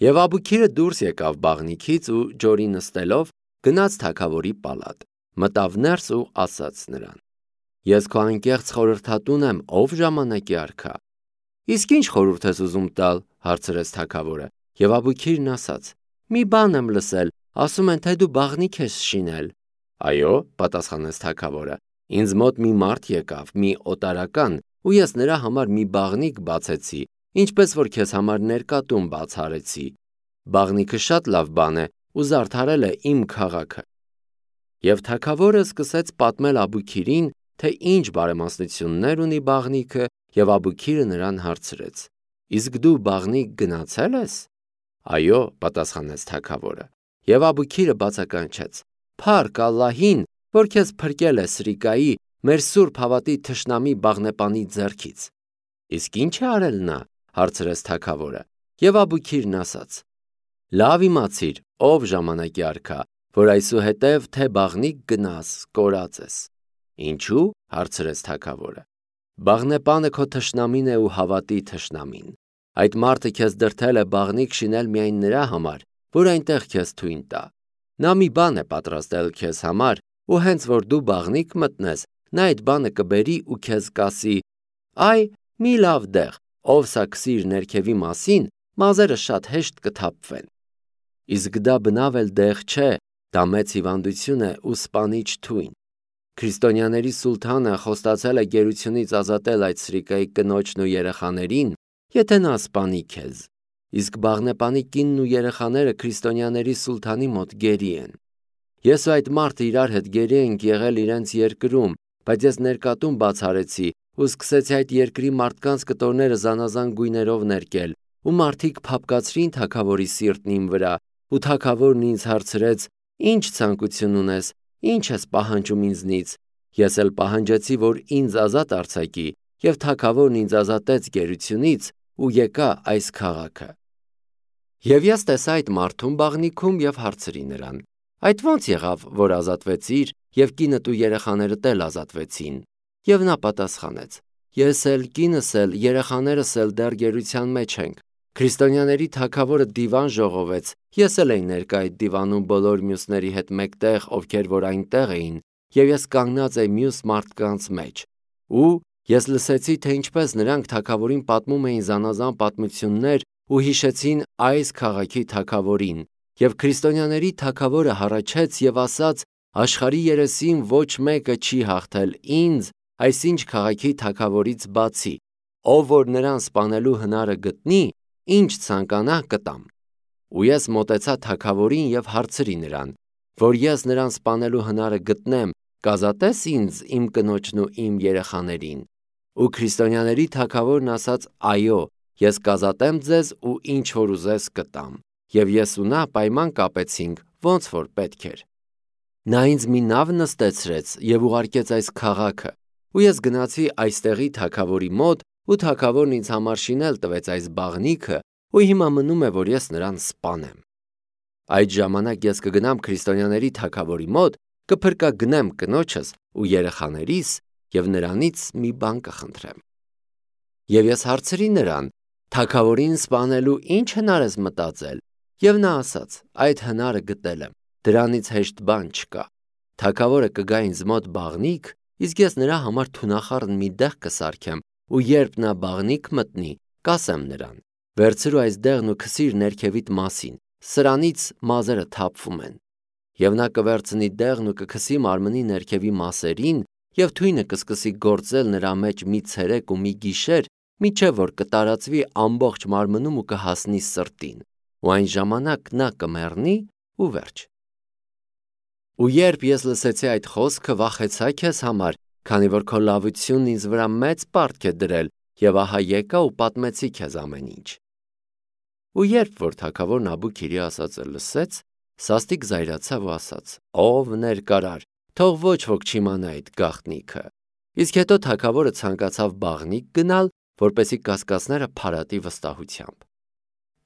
Եվ Աբուքիրը դուրս եկավ բաղնիքից ու ջորի նստելով գնաց թագավորի պալատ, մտավ ներս ու ասաց նրան. Ես քո անկեղծ խորհրդատուն եմ, ով ժամանակի արքա։ Իսկ ինչ խորհուրդ ես ուզում տալ, հարցրեց թագավորը, եւ Աբուքիրն ասաց. Մի բան եմ լսել, ասում են, թե դու բաղնիք ես շինել։ Այո, պատասխանեց թագավորը, ինձ մոտ մի մարդ եկավ, մի օտարական, ու ես նրա համար մի բաղնիք բացեցի, ինչպես որ քեզ համար ներկատուն բացարեցի։ Բաղնիքը շատ լավ բան է ու զարդարել է իմ քաղաքը։ Եվ թագավորը սկսեց պատմել Աբուքիրին, թե ինչ բարեմասնություններ ունի բաղնիքը, եւ Աբուքիրը նրան հարցրեց. Իսկ դու բաղնիք գնացել ես։ Այո, պատասխանեց թագավորը։ Եվ Աբուքիրը բացականչեց. Փառք Ալլահին, որ քեզ փրկել է Սրիկայի, մեր սուրբ հավատի թշնամի բաղնեպանի ձեռքից։ Իսկ ինչ է արել նա, հարցրեց թագավորը։ Եվ Աբուքիրն ասաց. Լավ իմացիր, ով ժամանակի արքա, որ այսուհետև թե բաղնիք գնաս, կորած ես։ Ինչու, հարցրեց թագավորը։ Բաղնեպանը քո թշնամին է ու հավատի թշնամին։ Այդ մարդը քեզ դրդել է բաղնիք շինել միայն նրա համար, որ այնտեղ քեզ թույն տա։ Նա մի բան է պատրաստել քեզ համար, ու հենց որ դու բաղնիք մտնես, նա այդ բանը կբերի ու քեզ կասի. Այ, մի լավ դեղ, ով սա քսի իր ներքևի մասին, մազերը շատ հեշտ կթափվեն։ Իսկ դա բնավ էլ դեղ չէ, դա մեծ հիվանդություն է ու սպանիչ թույն։ Քրիստոնյաների սուլթանը խոստացել է գերությունից ազատել այդ Սրիկայի կնոջն ու երեխաներին, եթե նա սպանի քեզ։ Իսկ բաղնեպանի կինն ու երեխաները քրիստոնյաների սուլթանի մոտ գերի են։ Ես ու այդ մարդը իրար հետ գերի ենք եղել իրենց երկրում, բայց ես ներկատուն բացարեցի ու սկսեցի այդ երկրի մարդկանց կտորները զանազան գույներով ներկել, ու մարդիկ փափկացրին թագավորի սիրտն իմ վրա, ու թագավորն ինձ հարցրեց. Ինչ ցանկություն ունես, ինչ ես պահանջում ինձնից։ Ես էլ պահանջեցի, որ ինձ ազատ արձակի, եւ թագավորն ինձ ազատեց գերությունից ու եկա այս քաղաքը։ Եվ ես տեսա այդ մարդուն բաղնիքում եւ հարցրի նրան. Այդ ո՞նց եղավ, որ ազատվեցիր եւ կինդ ու երեխաներդ էլ ազատվեցին։ Եվ նա պատասխանեց. Ես էլ, կինս էլ, երեխաներս էլ դեռ գերության մեջ ենք։ Քրիստոնյաների թագավորը դիվան ժողովեց, ես էլ էի ներկա այդ դիվանում բոլոր մյուսների հետ մեկտեղ, ովքեր որ այնտեղ էին, եւ ես կանգնած էի մյուս մարդկանց մեջ։ Ու ես լսեցի, թե ինչպես նրանք թագավորին պատմում էին զանազան պատմություններ ու հիշեցին այս քաղաքի թագավորին, եւ քրիստոնյաների թագավորը հառաչեց եւ ասաց. Աշխարհի երեսին ոչ մեկը չի հաղթել ինձ, այսինչ քաղաքի թագավորից բացի, ով որ նրան սպանելու հնարը գտնի, ինչ ցանկանա կտամ։ Ու ես մոտեցա թագավորին եւ հարցրի նրան, որ ես նրան սպանելու հնարը գտնեմ, կազատես ինձ, իմ կնոջն ու իմ երեխաներին։ Ու քրիստոնյաների թագավորն ասաց. Այո, ես կազատեմ ձեզ ու ինչ որ ուզես կտամ։ Եվ ես ու նա պայման կապեցինք, ոնց որ պետք էր։ Նա ինձ մի նավ նստեցրեց եւ ուղարկեց այս քաղաքը, ու ես գնացի այստեղի թագավորի մոտ, ու թագավորն ինձ համար շինել տվեց այս բաղնիքը, ու հիմա մնում է, որ ես նրան սպանեմ։ Այդ ժամանակ ես կգնամ քրիստոնյաների թագավորի մոտ, կփրկագնեմ կնոջս ու երեխաներիս եւ նրանից մի բան կխնդրեմ։ Եվ ես հարցրի նրան. թագավորին սպանելու ինչ հնար ես մտածել։ Եվ նա ասաց. այդ հնարը գտել եմ, դրանից հեշտ բան չկա։ Թագավորը կգա ինձ մոտ բաղնիք, իսկ ես նրա համար թունախառն մի դեղ կսարքեմ, ու երբ նա բաղնիք մտնի, կասեմ նրան. վերցրու այս դեղն ու քսիր ներքևիդ մասին, սրանից մազերը թափվում են։ Եվ նա կվերցնի դեղն ու կքսի մարմնի ներքևի մասերին, եւ թույնը կսկսի գործել նրա մեջ մի ցերեկ ու մի գիշեր, միջև որ կտարածվի ամբողջ մարմնում ու կհասնի սրտին, ու այն ժամանակ նա կմեռնի ու վերջ։ Ու երբ ես լսեցի այդ խոսքը, վախեցա քեզ համար, քանի որ քո լավությունն ինձ վրա մեծ պարտք է դրել, եւ ահա եկա ու պատմեցի քեզ ամեն ինչ։ Ու երբ որ թագավորն Աբուքիրի ասածը լսեց, սաստիկ զայրացավ ու ասաց. ով ներկարար, թող ոչ ոք չիմանա այդ գաղտնիքը։ Իսկ հետո թագավորը ցանկացավ բաղնիք գնալ, որպեսզի կասկածները փարատի վստահությամբ։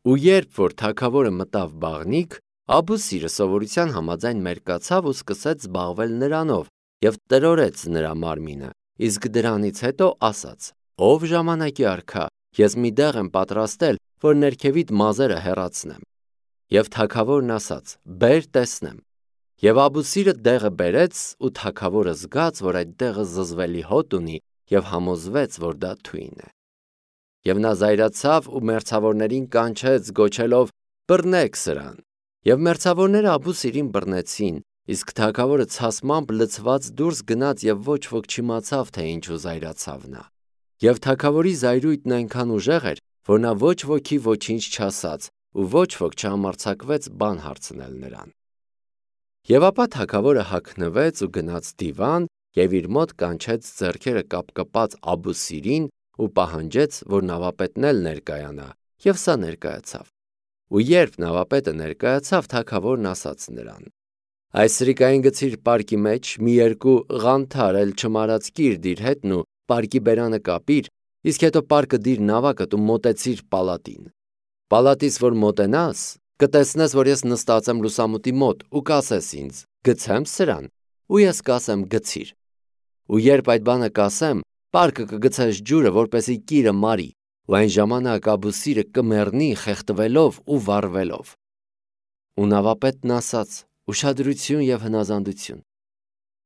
Ու երբ որ թագավորը մտավ բաղնիք, Աբուսիրը սովորության համաձայն մերկացավ ու սկսեց զբաղվել նրանով եւ տրորեց նրա մարմինը, իսկ դրանից հետո ասաց. ով ժամանակի արքա, ես մի դեղ եմ պատրաստել, որ ներքևիդ մազերը հեռացնեմ։ Եվ թագավորն ասաց. «Բեր տեսնեմ»։ Եվ Աբուսիրը դեղը բերեց, ու թագավորը զգաց, որ այդ դեղը զզվելի հոտ ունի, եւ համոզվեց, որ դա թույն է։ Եվ նա զայրացավ ու մերձավորներին կանչեց, գոչելով. «Բռնեք սրան»։ Եվ մերձավորները Աբուսիրին բռնեցին, իսկ թագավորը ցասմամբ լցված դուրս գնաց եւ ոչ ոք չիմացավ, թե ինչու զայրացավ նա։ Եվ թագավորի զայրույթն այնքան ուժեղ էր, որ նա ոչ ոքի ոչինչ չասաց, ու ոչ ոք չհամարձակվեց բան հարցնել նրան։ Եվ ապա թագավորը հագնվեց ու գնաց դիվան եւ իր մոտ կանչեց ձեռքերը կապկպած Աբուսիրին ու պահանջեց, որ նավապետն էլ ներկայանա, եւ սա ներկայացավ։ Ու երբ նավապետը ներկայացավ, թագավորն ասաց նրան. «Այս սրիկային գցիր պարկի մեջ, մի երկու ղանթար էլ չմարած կիր դիր հետն ու պարկի բերանը կապիր, իսկ հետո պարկը դիր նավակդ ու մոտեցիր պալատին։ Պալատիս որ մոտենաս, կտեսնես, որ ես նստած եմ լուսամուտի մոտ ու կասես ինձ. գցեմ սրան, ու ես կասեմ գցիր։ Ու երբ այդ բանը կասեմ, պարկը կգցես ջուրը, որպեսի կիրը մարի, ու այն ժամանակ Աբուսիրը կմեռնի խեղդվելով ու վառվելով»։ Ու նավապետն ասաց. «Ուշադրություն եւ հնազանդություն»։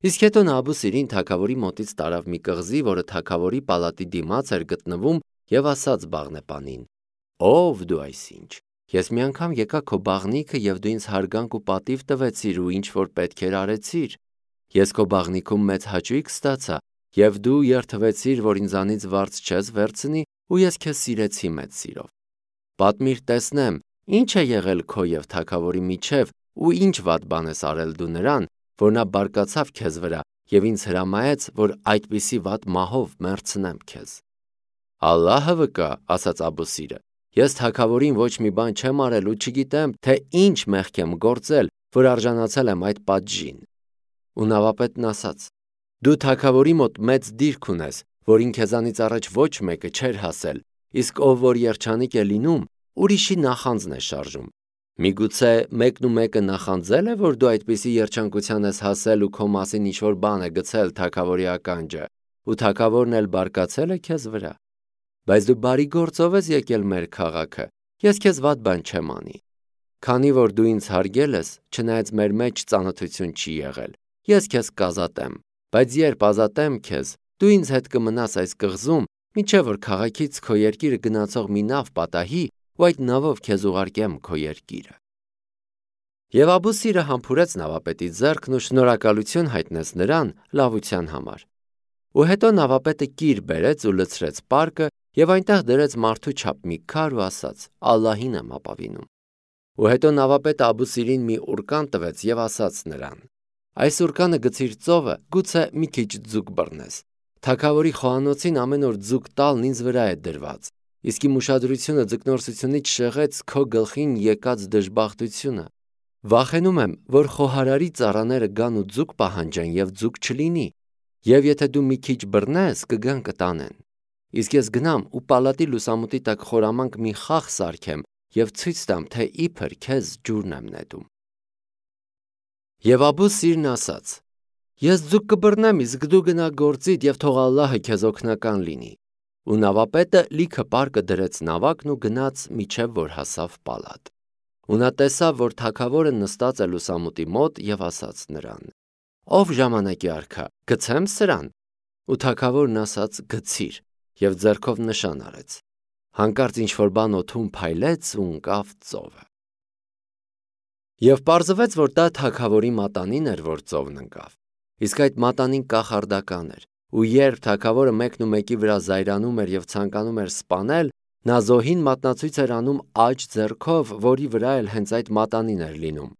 Իսկ հետո նա Աբուսիրին թագավորի մոտից տարավ մի կղզի, որը թագավորի պալատի դիմաց էր գտնվում, եւ ասաց բաղնեպանին. «Ով դու այսինչ, ես մի անգամ եկա քո բաղնիքը եւ դու ինձ հարգանք ու պատիվ տվեցիր ու ինչ որ պետք էր արեցիր։ Ես քո բաղնիքում մեծ հաճույք ստացա եւ դու երդվեցիր, որ ինձանից վարձ չես վերցնի ու ես քեզ սիրեցի մեծ սիրով։ Պատմիր տեսնեմ, ինչ է եղել քո եւ թագավորի միջև ու ինչ վատ բան ես արել դու նրան, որ նա բարկացավ քեզ վրա եւ ինձ հրամայեց, որ այդպիսի վատ մահով մեռցնեմ քեզ»։ «Ալլահը վկա», ասաց Աբուսիրը, «ես թագավորին ոչ մի բան չեմ արել ու չգիտեմ, թե ինչ մեղք եմ գործել, որ արժանացել եմ այդ պատժին»։ Ու նավապետն ասաց. «Դու թագավորի մոտ մեծ դիրք ունես, որին քեզանից առաջ ոչ մեկը չէր հասել, իսկ ով որ երջանիկ է լինում, ուրիշի նախանձն է շարժում։ Միգուցե մեկն ու մեկը նախանձել է, որ դու այդպիսի երջանկության ես հասել ու քո մասին ինչ-որ բան է գցել թագավորի ականջը, ու թագավորն էլ բարկացել է քեզ վրա։ Բայց դու բարի գործով ես եկել մեր քաղաքը, ես քեզ վատ բան չեմ անի։ Քանի որ դու ինձ հարգել ես, չնայած մեր մեջ ծանոթություն չի եղել, ես քեզ կազատեմ, բայց երբ ազատեմ քեզ, դու ինձ հետ կմնաս այս կղզում, մինչև որ քաղաքից քո երկիրը գնացող մի նավ պատահի ու այդ նավով քեզ ուղարկեմ քո երկիրը»։ Եվ Աբուսիրը համբուրեց նավապետի ձեռքն ու շնորհակալություն հայտնեց նրան լավության համար։ Ու հետո նավապետը կիր բերեց ու լցրեց պարկը եւ այնտեղ դրեց մարդու չափ մի քար ու ասաց. «Ալլահին եմ ապավինում»։ Ու հետո նավապետը Աբուսիրին մի ուրկան տվեց եւ ասաց նրան. «Այս ուրկանը գցիր ծովը, գուցե մի քիչ ձուկ բռնես։ Թագավորի խոհանոցին ամեն օր ձուկ տալն ինձ վրա է դրված, իսկ իմ ուշադրությունը ձկնորսությունից շեղեց քո գլխին եկած դժբախտությունը։ Վախենում եմ, որ խոհարարի ծառաները գան ու ձուկ պահանջեն եւ ձուկ չլինի, եւ եթե դու մի քիչ բռնես, կգան կտանեն։ Իսկ ես գնամ ու պալատի լուսամուտի տակ խորամանկ մի խաղ սարքեմ եւ ցույց տամ, թե իբր քեզ ջուրն եմ նետում»։ Եվ Աբուսիրն ասաց. «Ես ձուկ կբռնեմ, իսկ դու գնա գործիդ եւ թող Ալլահը քեզ օգնական լինի»։ Ու նավապետը լիքը պարկը դրեց նավակն ու գնաց միջև որ հասավ պալատ։ Ու նա տեսավ, որ թագավորը նստած է լուսամուտի մոտ եւ ասաց նրան. «Ով ժամանակի արքա, գցեմ սրան»։ Ու թագավորն ասաց. «Գցիր», եւ ձեռքով նշան արեց։ Հանկարծ ինչ-որ բան օդում փայլեց ու ընկավ ծովը։ Եվ պարզվեց, որ դա թագավորի մատանին էր, որ ծովն ընկավ։ Իսկ այդ մատանին կախարդական էր, ու երբ թագավորը մեկն ու մեկի վրա զայրանում էր եւ ցանկանում էր սպանել, նա զոհին մատնացույց էր անում աջ ձեռքով, որի վրա էլ հենց այդ մատանին էր լինում։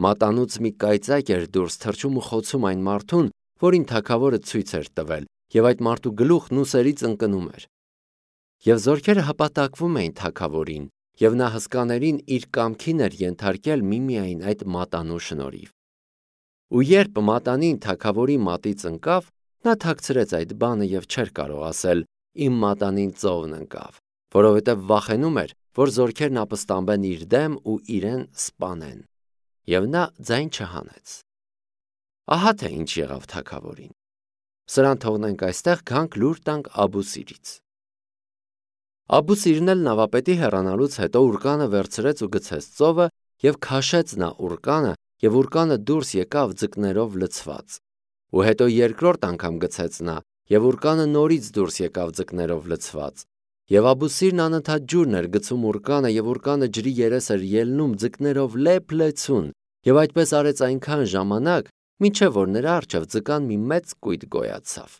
Մատանուց մի կայծակ էր դուրս թռչում ու խոցում այն մարդուն, որին թագավորը ցույց էր տվել, եւ այդ մարդու գլուխն ուսերից ընկնում էր։ Եվ զորքերը հպատակվում էին թագավորին, եւ նա հսկաներին իր կամքին էր ենթարկել միմիայն այդ մատանու շնորհիվ։ Ու երբ մատանին թագավորի մատից ընկավ, նա թաքցրեց այդ բանը եւ չէր կարող ասել. «Իմ մատանին ծովն ընկավ», որովհետեւ վախենում էր, որ զորքերն ապստամբեն իր դեմ ու իրեն սպանեն։ Եվ նա ձայն չհանեց։ Ահա թե ինչ եղավ թագավորին։ Սրան թողնենք այստեղ, գանք լուր տանք Աբուսիրից։ Աբուսիրն էլ նավապետի հեռանալուց հետո ուռկանը վերցրեց ու գցեց ծովը և քաշեց նա ուռկանը, և ուռկանը դուրս եկավ ձկներով լցված։ Ու հետո երկրորդ անգամ գցեց նա, և ուռկանը նորից դուրս եկավ ձկներով լցված։ Եվ Աբուսիրն անընդհատ ջուրն էր գցում ուռկանը, և ուռկանը ջրի երես էր ելնում ձկներով լեփ-լեցուն, և այդպես արեց այնքան ժամանակ, մինչև որ նրա առջև ձկան մի մեծ կույտ գոյացավ։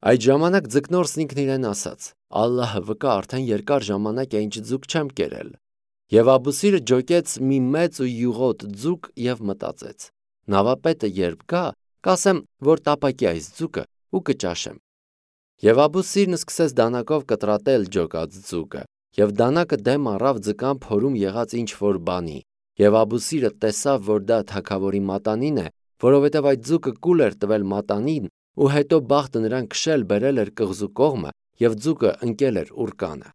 Այդ ժամանակ ձկնորսն ինքն իրեն ասաց. «Ալլահը վկա, արդեն երկար ժամանակ է ինչ ձուկ չեմ կերել»։ Եվ Աբուսիրը ջոկեց մի մեծ ու յուղոտ ձուկ և մտածեց. «Նավապետը երբ գա, կասեմ, որ տապակի այս ձուկը ու կճաշեմ»։ Եվ Աբուսիրն սկսեց դանակով կտրատել ջոկած ձուկը, և դանակը դեմ առավ ձկան փորում եղած ինչ-որ բանի, և Աբուսիրը տեսավ, որ դա թագավորի մատանին է, որովհետև այդ ձուկը կուլ էր տվել մատանին, ու հետո բախտը նրան քշել բերել էր կղզու կողմը, և ձուկը ընկել էր ուռկանը։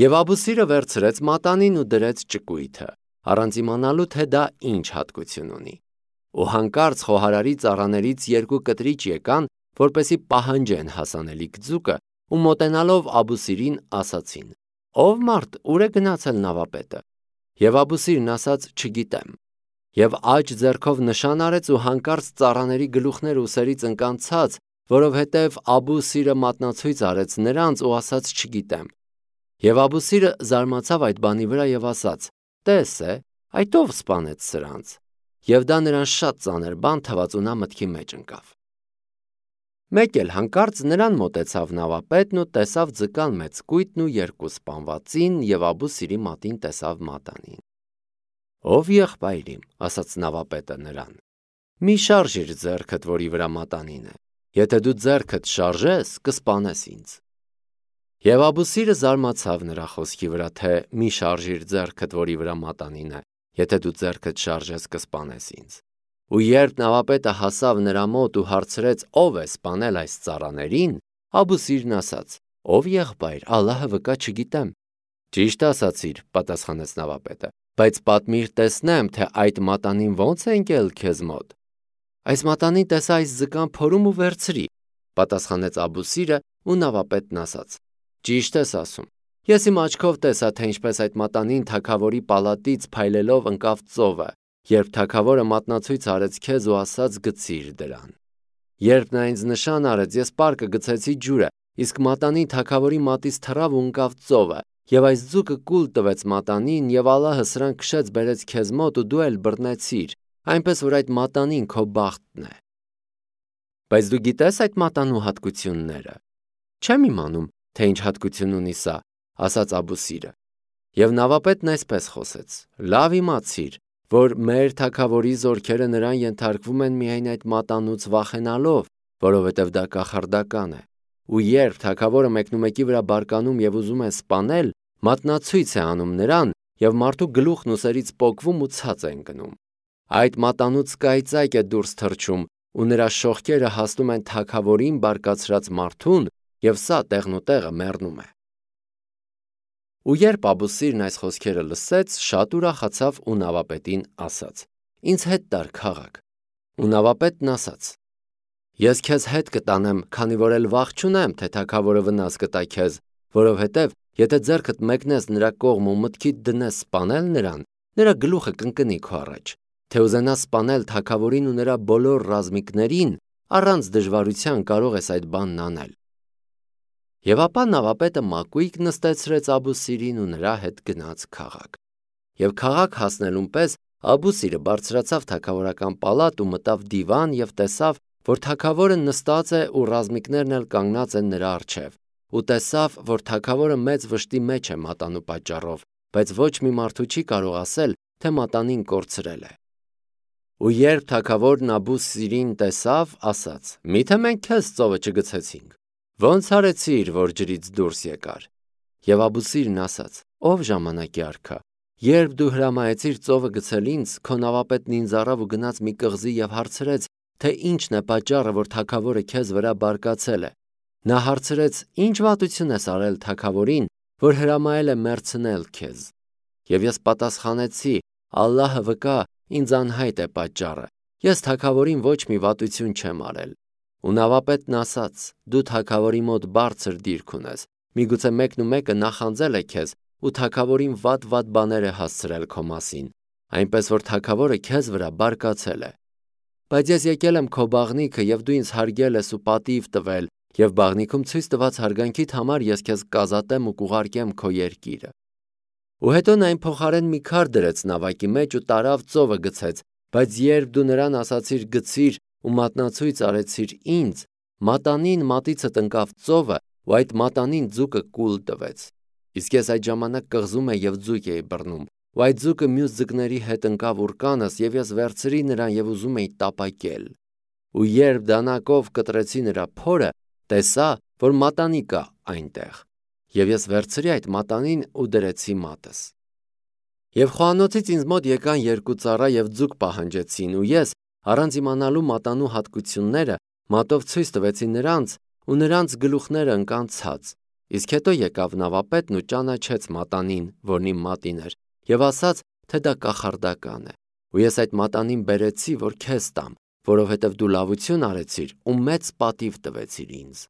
Եվ Աբուսիրը վերցրեց մատանին ու դրեց ճկույթը, առանց իմանալու, թե դա ինչ հատկություն ունի։ Ու հանկարծ խոհարարի ծառաներից երկու կտրիչ եկան, որպեսզի պահանջեն հասանելիք ձուկը, ու մոտենալով Աբուսիրին ասացին. «Ով մարդ, ուր է գնացել նավապետը»։ Եվ Աբուսիրն ասաց. «Չգիտեմ»։ Եվ աջ ձեռքով նշան արեց ու հանկարծ ծառաների գլուխները ուսերից ընկան ցած, որովհետև Աբուսիրը մատնացույց արեց նրանց ու ասաց. «Չգիտեմ»։ Եվ Աբուսիրը զարմացավ այդ բանի վրա և ասաց. «Տես է, այդ ով սպանեց սրանց»։ Եվ դա նրան շատ ծանր բան թվաց ու նա մտքի մեջ ընկավ։ Մեկ էլ հանկարծ նրան մոտեցավ նավապետն ու տեսավ ձկան մեծ կույտն ու երկու սպանվածին, և Աբուսիրի մատին տեսավ մատանին։ «Ով եղբայր իմ», ասաց նավապետը նրան, «մի շարժիր ձեռքդ, որի վրա մատանին է, եթե դու ձեռքդ շարժես, կսպանես ինձ»։ Եվ Աբուսիրը զարմացավ նրա խոսքի վրա, թե մի շարժիր ձեռքդ, որի վրա մատանին է, եթե դու ձեռքդ շարժես, կսպանես ինձ։ Ու երբ նավապետը հասավ նրա մոտ ու հարցրեց. «Ով է սպանել այս ծառաներին», Աբուսիրն ասաց. «Ով եղբայր, Ալլահը վկա, չգիտեմ»։ «Ճիշտ ասացիր», պատասխանեց նավապետը, «բայց պատմիր տեսնեմ, թե այդ մատանին ո՞նց է ընկել քեզ մոտ»։ «Այս մատանին տեսա այս ձկան փորում ու վերցրի», պատասխանեց Աբուսիրը, ու նավապետն ասաց. «Ճիշտ ես ասում։ Ես իմ աչքով տեսա, թե ինչպես այդ մատանին թագավորի պալատից փայլելով ընկավ ծովը, երբ թագավորը մատնացույց արեց քեզ ու ասաց գցիր դրան։ Երբ նա ինձ նշան արեց, ես պարկը գցեցի ջուրը, իսկ մատանին թագավորի մատից թռավ ու ընկավ ծովը, և այս ձուկը կուլ տվեց մատանին, և Ալլահը սրան քշեց բերեց քեզ մոտ ու դու էլ բռնեցիր, այնպես որ այդ մատանին քո բախտն է։ Բայց դու գիտես այդ մատանու հատկությունները»։ «Չեմ իմանում, թե ինչ հատկություն ունի սա», ասաց Աբուսիրը։ Եվ նավապետն այսպես խոսեց. «Լավ իմացիր, որ մեր թագավորի զորքերը նրան ենթարկվում են միայն այդ մատանուց վախենալով, որովհետև դա կախարդական է։ Ու երբ թագավորը մեկնումեկի վրա բարկանում և ուզում է սպանել, մատնացույց է անում նրան, և մարդու գլուխն ուսերից պոկվում ու ցած է ընկնում։ Այդ մատանուց կայծակ է դուրս թռչում, ու նրա շողքերը հասնում են թագավորին բարկացրած մարդուն, և սա տեղնուտեղը մեռնում է»։ Ու երբ Աբուսիրն այս խոսքերը լսեց, շատ ուրախացավ ու նավապետին ասաց. «Ինձ հետ տար քաղաք»։ Ու նավապետն ասաց. «Ես քեզ հետ կտանեմ, քանի որ էլ վախ չունեմ, թե թագավորը վնաս կտա քեզ, որովհետև եթե ձեռքդ մեկնես նրա կողմ ու մտքիդ դնես սպանել նրան, նրա գլուխը կընկնի քո առաջ, թե ուզենաս սպանել թագավորին ու նրա բոլոր ռազմիկներին, առանց դժվարության կարող ես այդ բանն անել»։ Եվ ապա նավապետը մակույկ նստեցրեց Աբուսիրին ու նրա հետ գնաց քաղաք։ Եվ քաղաք հասնելուն պես Աբուսիրը բարձրացավ թագավորական պալատ ու մտավ դիվան և տեսավ, որ թագավորը նստած է ու ռազմիկներն էլ կանգնած են նրա առջև, ու տեսավ, որ թագավորը մեծ վշտի մեջ է մատանու պատճառով, բայց ոչ մի մարդու չի կարող ասել, թե մատանին կորցրել է։ Ու երբ թագավորն Աբուսիրին տեսավ, ասաց. «Միթե մենք քեզ ծովը չգցեցինք, ո՞նց արեցիր, որ ջրից դուրս եկար»։ Եվ Աբուսիրն ասաց. «Ով ժամանակի արքա, երբ դու հրամայեցիր ծովը գցել ինձ, քո նավապետն ինձ առավ ու գնաց մի կղզի և հարցրեց, թե ինչն է պատճառը, որ թագավորը քեզ վրա բարկացել է։ Նա հարցրեց. «Ինչ վատություն ես արել թագավորին, որ հրամայել է մեռցնել քեզ»։ Եվ ես պատասխանեցի. «Ալլահը վկա, ինձ անհայտ է պատճառը, ես թագավորին ոչ մի վատություն չեմ արել»։ Ու նավապետն ասաց. «Դու թագավորի մոտ բարձր դիրք ունես, Միգուցե մեկն ու մեկը նախանձել է քեզ ու թագավորին վատ բաներ է հասցրել քո մասին, այնպես որ թագավորը քեզ վրա բարկացել է։ Բայց ես եկել եմ քո բաղնիքը և դու ինձ հարգել ես ու պատիվ տվել, և բաղնիքում ցույց տված հարգանքիդ համար ես քեզ կազատեմ ու կուղարկեմ քո երկիրը։ Ու հետո նա այն փոխարեն մի քար դրեց նավակի մեջ ու տարավ ծովը գցեց, բայց երբ դու նրան ասացիր գցիր ու մատնացույց արեցիր ինձ, մատանին մատիցդ ընկավ ծովը ու այդ մատանին ձուկը կուլ տվեց։ Իսկ ես այդ ժամանակ կղզում էի և ձուկ էի բռնում, ու այդ ձուկը մյուս ձկների հետ ընկավ ուռկանս, և ես վերցրի նրան և ուզում էի տապակել։ Ու երբ դանակով կտրեցի նրա փորը, տեսա, որ մատանի կա այնտեղ, և ես վերցրի այդ մատանին ու դրեցի մատս։ Եվ խոհանոցից ինձ մոտ եկան երկու ծառա և ձուկ պահանջեցին, ու ես, առանց իմանալու մատանու հատկությունները, մատով ցույց տվեցի նրանց, ու նրանց գլուխները ընկան ցած։ Իսկ հետո եկավ նավապետն ու ճանաչեց մատանին, որն իմ մատին էր, և ասաց, թե դա կախարդական է։ Ու ես այդ մատանին բերեցի, որ քեզ տամ, որովհետև դու լավություն արեցիր ու մեծ պատիվ տվեցիր ինձ։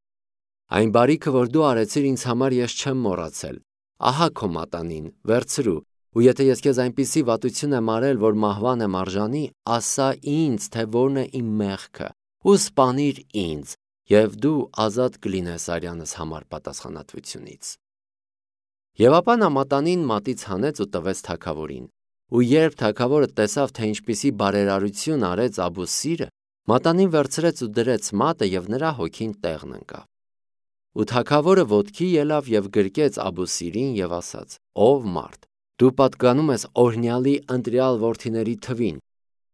Այն բարիքը, որ դու արեցիր ինձ համար, ես չեմ մոռացել։ Ահա քո մատանին, վերցրու, ու եթե ես քեզ այնպիսի վատություն եմ արել, որ մահվան եմ արժանի, ասա ինձ, թե որն է իմ մեղքը, ու սպանիր ինձ, և դու ազատ կլինես արյանս համար պատասխանատվությունից։ Եվ ապա նա մատանին մատից հանեց ու տվեց թագավորին։ Ու երբ թագավորը տեսավ, թե ինչպիսի բարերարություն արեց Աբուսիրը, մատանին վերցրեց ու դրեց մատը, և նրա հոգին տեղն ընկավ։ Ու թագավորը ոտքի ելավ և գրկեց Աբուսիրին և ասաց. «Ով մարդ, դու պատկանում ես օրհնյալի ընտրյալ որդիների թվին։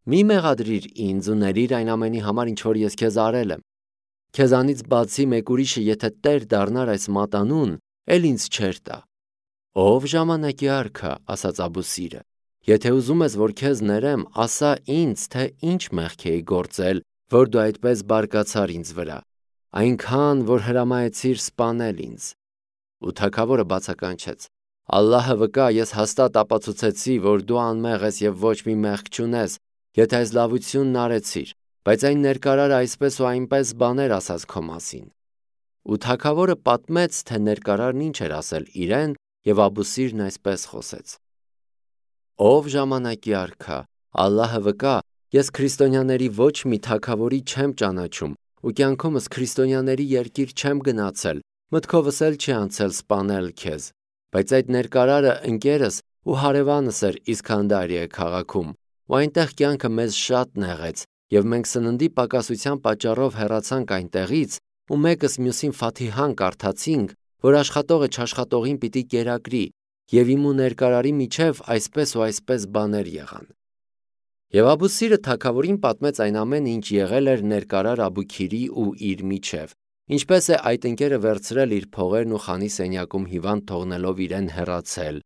Մի մեղադրիր ինձ ու ներիր այն ամենի համար, ինչ որ ես քեզ արել եմ։ Քեզանից բացի մեկ ուրիշը եթե տեր դառնար այս մատանուն, էլ ինձ չէր տա»։ «Ով ժամանակի արքա», ասաց Աբուսիրը, «եթե ուզում ես, որ քեզ ներեմ, ասա ինձ, թե ինչ մեղք էի գործել, որ դու այդպես բարկացար ինձ վրա, այնքան, որ հրամայեցիր սպանել ինձ»։ Ու թագավորը բացականչեց. «Ալլահը վկա, ես հաստատ ապացուցեցի, որ դու անմեղ ես և ոչ մի մեղք չունես, եթե այս լավությունն արեցիր, բայց այն ներկարարը այսպես ու այնպես բաներ ասաց քո մասին»։ Ու թագավորը պատմեց, թե ներկարարն ինչ էր ասել իրեն, և Աբուսիրն այսպես խոսեց. «Ով ժամանակի արքա, Ալլահը վկա, ես քրիստոնյաների ոչ մի թագավորի չեմ ճանաչում ու կյանքումս քրիստոնյաների երկիր չեմ գնացել, մտքովս էլ չի անցել սպանել քեզ, բայց այդ ներկարարը ընկերս ու հարևանս էր Իսքանդարիա քաղաքում, ու այնտեղ կյանքը մեզ շատ նեղեց, և մենք սննդի պակասության պատճառով հեռացանք այնտեղից, ու մեկս մյուսին Ֆաթիհան կարդացինք, որ աշխատողը չաշխատողին պիտի կերակրի, և իմ ու ներկարարի միջև այսպես ու այսպես բաներ եղան»։ Եվ Աբուսիրը թագավորին պատմեց այն ամենը, ինչ եղել էր ներկարար Աբուքիրի ու իր միջև, ինչպես է այդ ընկերը վերցրել իր փողերն ու խանի սենյակում հիվանդ թողնելով իրեն հեռացել,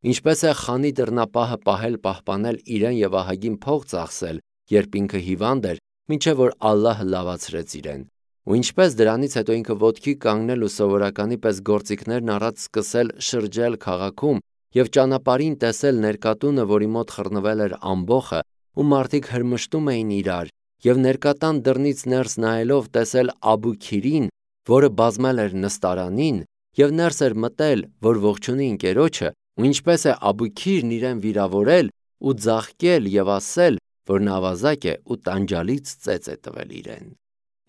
ինչպես է խանի դռնապահը պահել պահպանել իրեն և ահագին փող ծախսել, երբ ինքը հիվանդ էր, մինչև որ Ալլահը լավացրեց իրեն, ու ինչպես դրանից հետո ինքը ոտքի կանգնել ու սովորականի պես գործիքներն առած սկսել շրջել քաղաքում և ճանապարհին տեսել ներկատունը, որի մոտ խռնվել էր ամբոխը, ու մարդիկ հրմշտում էին իրար, և ներկատան դռնից ներս նայելով տեսել Աբուքիրին, որը բազմել էր նստարանին, և ներս էր մտել, որ ողջունի ընկերոջը, ու ինչպես է Աբուքիրն իրեն վիրավորել ու ձաղկել և ասել, որ նա ավազակ է ու տանջալից ծեծ է տվել իրեն։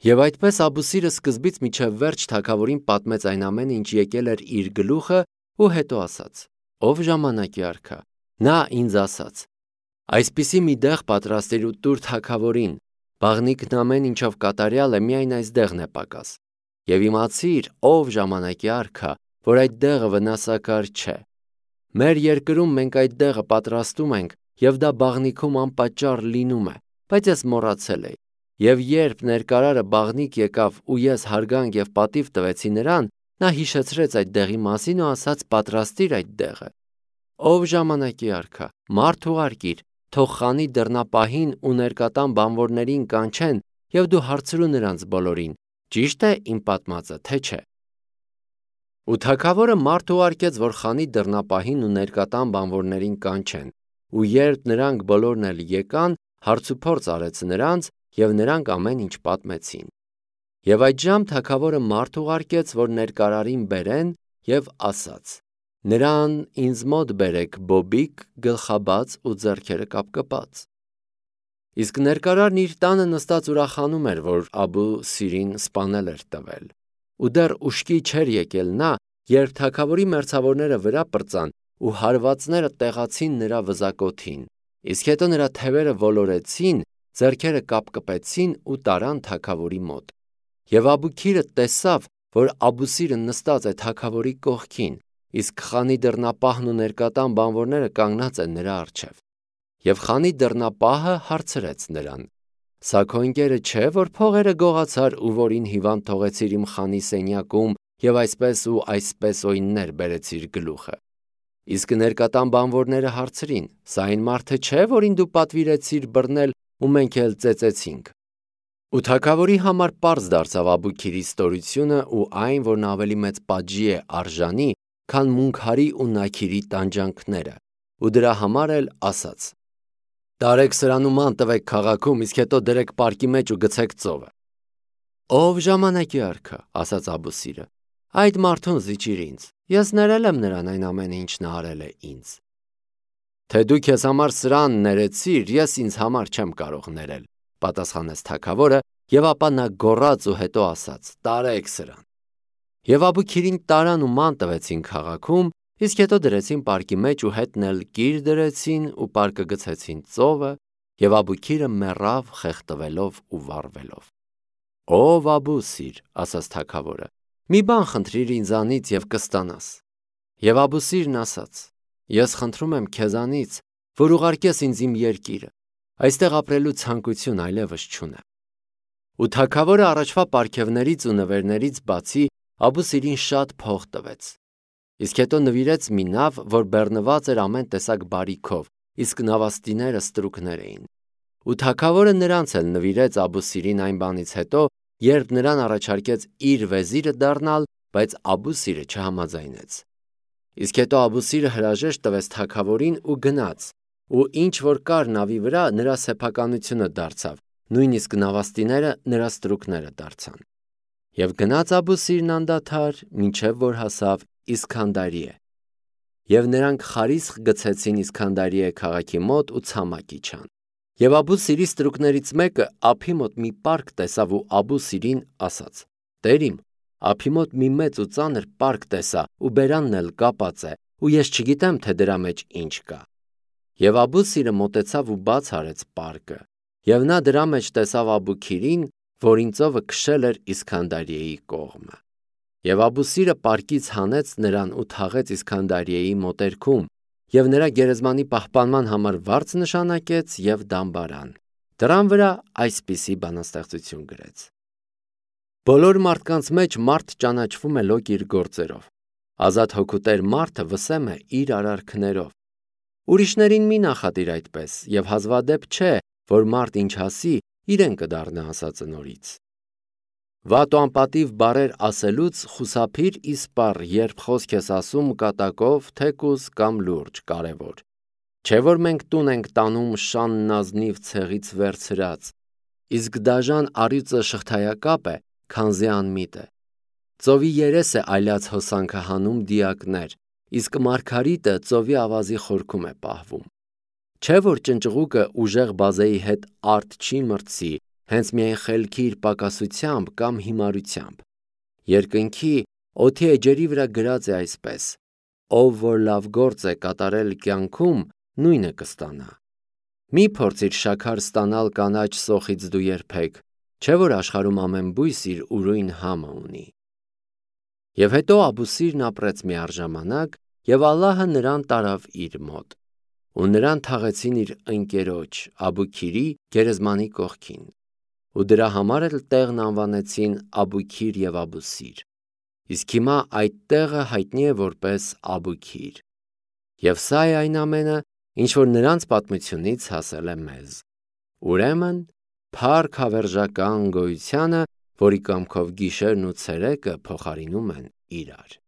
Եվ այդպես Աբուսիրը սկզբից մինչև վերջ թագավորին պատմեց այն ամենը, ինչ եկել էր իր գլուխը, ու հետո ասաց. «Ով ժամանակի արքա, նա ինձ ասաց. այսպիսի մի դեղ պատրաստիր ու տուր թագավորին, բաղնիքն ամեն ինչով կատարյալ է, միայն այս դեղն է պակաս։ Եվ իմացիր, ով ժամանակի արքա, որ այդ դեղը վնասակար չէ։ Մեր երկրում մենք այդ դեղը պատրաստում ենք, և դա բաղնիքում անպատճառ լինում է, բայց ես մոռացել էի։ Եվ երբ ներկարարը բաղնիք եկավ ու ես հարգանք և պատիվ տվեցի նրան, նա հիշեցրեց այդ դեղի մասին ու ասաց պատրաստիր այդ դեղը։ Ով ժամանակի արքա, մարդ ուղարկիր, թող խանի դռնապահին ու ներկատան բանվորներին կանչեն, և դու հարցրու նրանց բոլորին. ճի՞շտ է իմ պատմածը, թե չէ։ Ու թագավորը մարդ ուղարկեց, որ խանի դռնապահին ու ներկատան բանվորներին կանչեն, ու երբ նրանք բոլորն էլ եկան, հարցուփորձ արեց նրանց, և նրանք ամեն ինչ պատմեցին։ Եվ այդժամ թագավորը մարդ ուղարկեց, որ ներկարարին բերեն, և ասաց. «Նրան ինձ մոտ բերեք բոբիկ, գլխաբաց ու ձեռքերը կապկպած»։ Իսկ ներկարարն իր տանը նստած ուրախանում էր, որ Աբու Սիրին սպանել էր տվել։ Ու դեռ ուշքի չէր եկել նա, երբ թագավորի մերձավորները վրա պրծան ու հարվածները տեղացին նրա վզակոթին, իսկ հետո նրա թևերը ոլորեցին, ձեռքերը կապկպեցին ու տարան թագավորի մոտ։ Եվ Աբուքիրը տեսավ, որ Աբուսիրը նստած է թագավորի կողքին, իսկ խանի դռնապահն ու ներկատան բանվորները կանգնած են նրա առջև։ Եվ խանի դռնապահը հարցրեց նրան. «Սա քո ընկերը չէ, որ փողերը գողացար ու որին հիվանդ թողեցիր իմ խանի սենյակում և այսպես ու այսպես օյններ բերեցիր գլուխը»։ Իսկ ներկատան բանվորները հարցրին. «Սա այն մարդը չէ, որին դու պատվիրեցիր բռնել ու մենք էլ ծեծեցինք»։ Ու թագավորի համար պարզ դարձավ Աբուքիրի ստորությունը ու այն, որ նա ավելի մեծ պատժի է արժանի, քան Մունքարի ու Նաքիրի տանջանքները, ու դրա համար էլ ասաց. «Տարեք սրան ու ման տվեք քաղաքում, իսկ հետո դրեք պարկի մեջ ու գցեք ծովը»։ «Ով ժամանակի արքա», ասաց Աբուսիրը, «այդ մարդուն զիջիր ինձ, ես ներել եմ նրան այն ամենը, ինչ նա արել է ինձ»։ «Թե դու քեզ համար սրան ներեցիր, ես ինձ համար չեմ կարող ներել», պատասխանեց թագավորը, և ապա նա գոռաց ու հետո ասաց. «Տարեք սրան»։ Եվ Աբուքիրին տարան ու ման տվեցին քաղաքում, իսկ հետո դրեցին պարկի մեջ ու հետն էլ կիր դրեցին ու պարկը գցեցին ծովը, և Աբուքիրը մեռավ խեղդվելով ու վառվելով։ «Ով Աբուսիր», ասաց թագավորը, «մի բան խնդրիր ինձանից և կստանաս»։ Եվ Աբուսիրն ասաց. «Ես խնդրում եմ քեզանից, որ ուղարկես ինձ իմ երկիրը, այստեղ ապրելու ցանկություն այլևս չունեմ»։ Ու թագավորը առաջվա պարգևներից ու նվերներից բացի Աբուսիրին շատ փող տվեց։ Իսկ հետո նվիրեց մի նավ, որ բեռնված էր ամեն տեսակ բարիքով, իսկ նավաստիները ստրուկներ էին։ Ու թագավորը նրանց էլ նվիրեց Աբուսիրին այն բանից հետո, երբ նրան առաջարկեց իր վեզիրը դառնալ, բայց Աբուսիրը չհամաձայնեց։ Իսկ հետո Աբուսիրը հրաժեշտ տվեց թագավորին ու գնաց, ու ինչ որ կար նավի վրա, նրա սեփականությունը դարձավ, նույնիսկ նավաստիները նրա ստրուկները դարձան։ Եվ գնաց Աբուսիրն անդադար, մինչև որ հասավ Իսքանդարիե։ Եվ նրանք խարիսխ գցեցին Իսքանդարիե քաղաքի մոտ ու ցամաք իջան։ Եվ Աբուսիրի ստրուկներից մեկը ափի մոտ մի պարկ տեսավ ու Աբուսիրին ասաց. «Տեր իմ, ափի մոտ մի մեծ ու ծանր պարկ տեսա ու բերանն էլ կապած է, ու ես չգիտեմ, թե դրա մեջ ինչ կա»։ Եվ Աբուսիրը մոտեցավ ու բաց արեց պարկը, և նա դրա մեջ տեսավ Աբուքիրին, որին ծովը քշել էր Իսքանդարիեի կողմը։ Եվ Աբուսիրը պարկից հանեց նրան ու թաղեց Իսքանդարիեի մոտերքում, և նրա գերեզմանի պահպանման համար վարձ նշանակեց և դամբարան։ Դրան վրա այսպիսի բանաստեղծություն գրեց. «Բոլոր մարդկանց մեջ մարդ ճանաչվում է լոկ իր գործերով, ազատ հոգուտեր մարդը վսեմ է իր արարքներով։ Ուրիշներին մի նախատիր այդպես, և հազվադեպ չէ, որ մարդ ինչ ասի, իրեն կդառնա ասածը նորից։ Վատ ու անպատիվ բառեր ասելուց խուսափիր իսպառ, երբ խոսք ես ասում կատակով, թեկուզ կամ լուրջ, կարևոր։ Չէ որ մենք տուն ենք տանում շանն ազնիվ ցեղից վերցրած, իսկ դաժան առյուծը շղթայակապ է, քանզի անմիտ է։ Ծովի երես է այլած հոսանքը հանում դիակներ, իսկ մարգարիտը ծովի ավազի խորքում է պահվում։ Չէ որ ճնճղուկը ուժեղ բազեի հետ արդ չի մրցի, հենց միայն խելքի իր պակասությամբ կամ հիմարությամբ։ Երկնքի, օդի էջերի վրա գրած է այսպես. ով որ լավ գործ է կատարել կյանքում, նույնը կստանա։ Մի փորձիր շաքար ստանալ կանաչ սոխից դու երբեք, չէ որ աշխարհում ամեն բույս իր ուրույն համը ունի։ Եվ հետո Աբուսիրն ապրեց մի առժամանակ, և Ալլահը նրան տարավ իր մոտ, ու նրան թաղեցին իր ընկերոջ Աբուքիրի գերեզմանի կողքին, ու դրա համար էլ տեղն անվանեցին Աբուքիր և Աբուսիր։ Իսկ հիմա այդ տեղը հայտնի է որպես Աբուքիր։ Եվ սա է այն ամենը, ինչ որ նրանց պատմությունից հասել է մեզ։ Ուրեմն, փառք հավերժական գոյությանը, որի կամքով գիշերն ու ցերեկը փոխարինում են իրար։